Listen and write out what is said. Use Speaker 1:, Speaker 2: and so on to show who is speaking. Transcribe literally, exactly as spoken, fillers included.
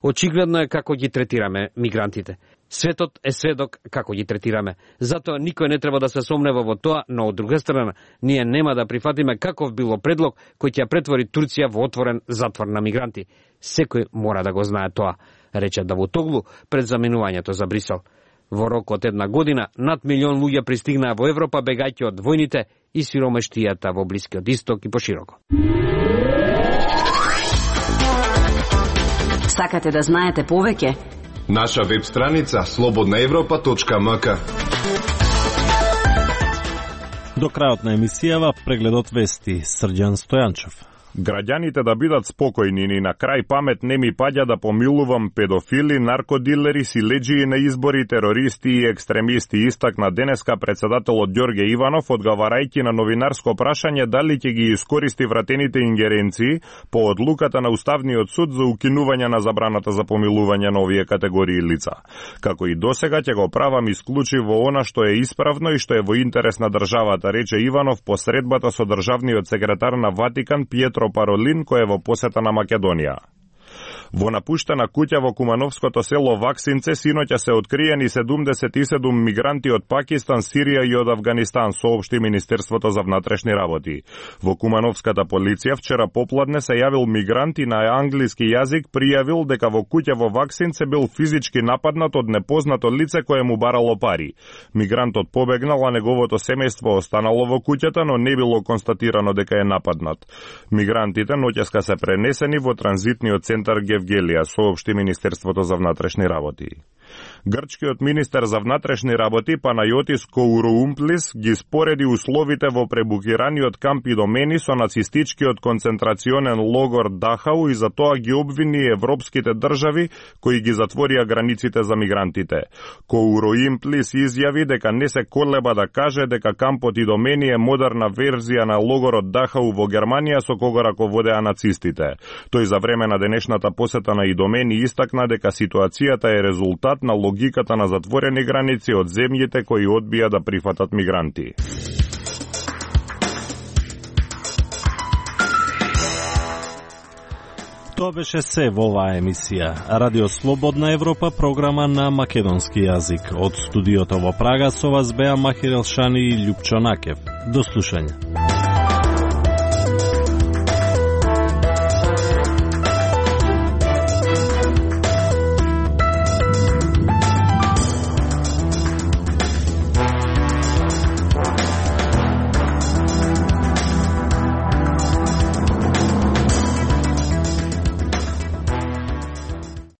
Speaker 1: Очигледно е како ги третираме мигрантите. Светот е сведок како ги третираме. Затоа никој не треба да се сомнева во тоа, но од друга страна, ние нема да прифатиме каков било предлог кој ќе претвори Турција во отворен затвор на мигранти. Секој мора да го знае тоа, рече Давутоглу пред заминувањето за Брисел. Во рок од една година, над милион луѓе пристигнаа во Европа бегајќи од војните и сиромештијата во Блискиот Исток и пошироко.
Speaker 2: Сакате да знаете повеќе?
Speaker 3: Наша веб страница слободна европа точка м к.
Speaker 4: До крајот на емисијава прегледот вести Срđan Стојанчев.
Speaker 5: Граѓаните да бидат спокојни, ни на крај памет не ми паѓа да помилувам педофили, наркодилери, силеџии на избори, терористи и екстремисти, истакна денеска председателот Ѓорѓе Иванов, одговарајќи на новинарско прашање дали ќе ги искористи вратените ингеренции по одлуката на Уставниот суд за укинување на забраната за помилување на овие категории лица. Како и досега ќе го правам исклучиво она што е исправно и што е во интерес на државата, рече Иванов по средбата со државниот секретар на Ватикан Пиетро Паролин, кој е во посета на Македонија. Во напуштена куќа во кумановското село Ваксинце синоќа се откриени седумдесет и седум мигранти од Пакистан, Сирија и од Авганистан, соопшти Министерството за внатрешни работи. Во кумановската полиција вчера попладне се јавил мигрант и на англиски јазик пријавил дека во куќа во Ваксинце бил физички нападнат од непознато лице кое му барало пари. Мигрантот побегнал, а неговото семејство останало во куќата, но не било констатирано дека е нападнат. Мигрантите ноќеска се пренесени во транзитниот центар Евгелија, соопшти Министерството за внатрешни работи. Грчкиот министер за внатрешни работи Панајотис Коуроумплис ги спореди условите во пребукираниот камп Идомени со нацистичкиот концентрационен логор Дахау и за тоа ги обвини европските држави кои ги затворија границите за мигрантите. Коуроумплис изјави дека не се колеба да каже дека кампот Идомени е модерна верзија на логорот Дахау во Германија со кога раководеа нацистите. Тој за време на денешната посета на Идомени истакна дека ситуацијата е резултат на логиката на затворени граници од земјите кои одбија да прифатат мигранти.
Speaker 4: Тоа беше се во оваа емисија. Радио Слободна Европа, програма на македонски јазик. Од студиото во Прага со вас беа Махир Елшани и Љупчо Накев. До слушање.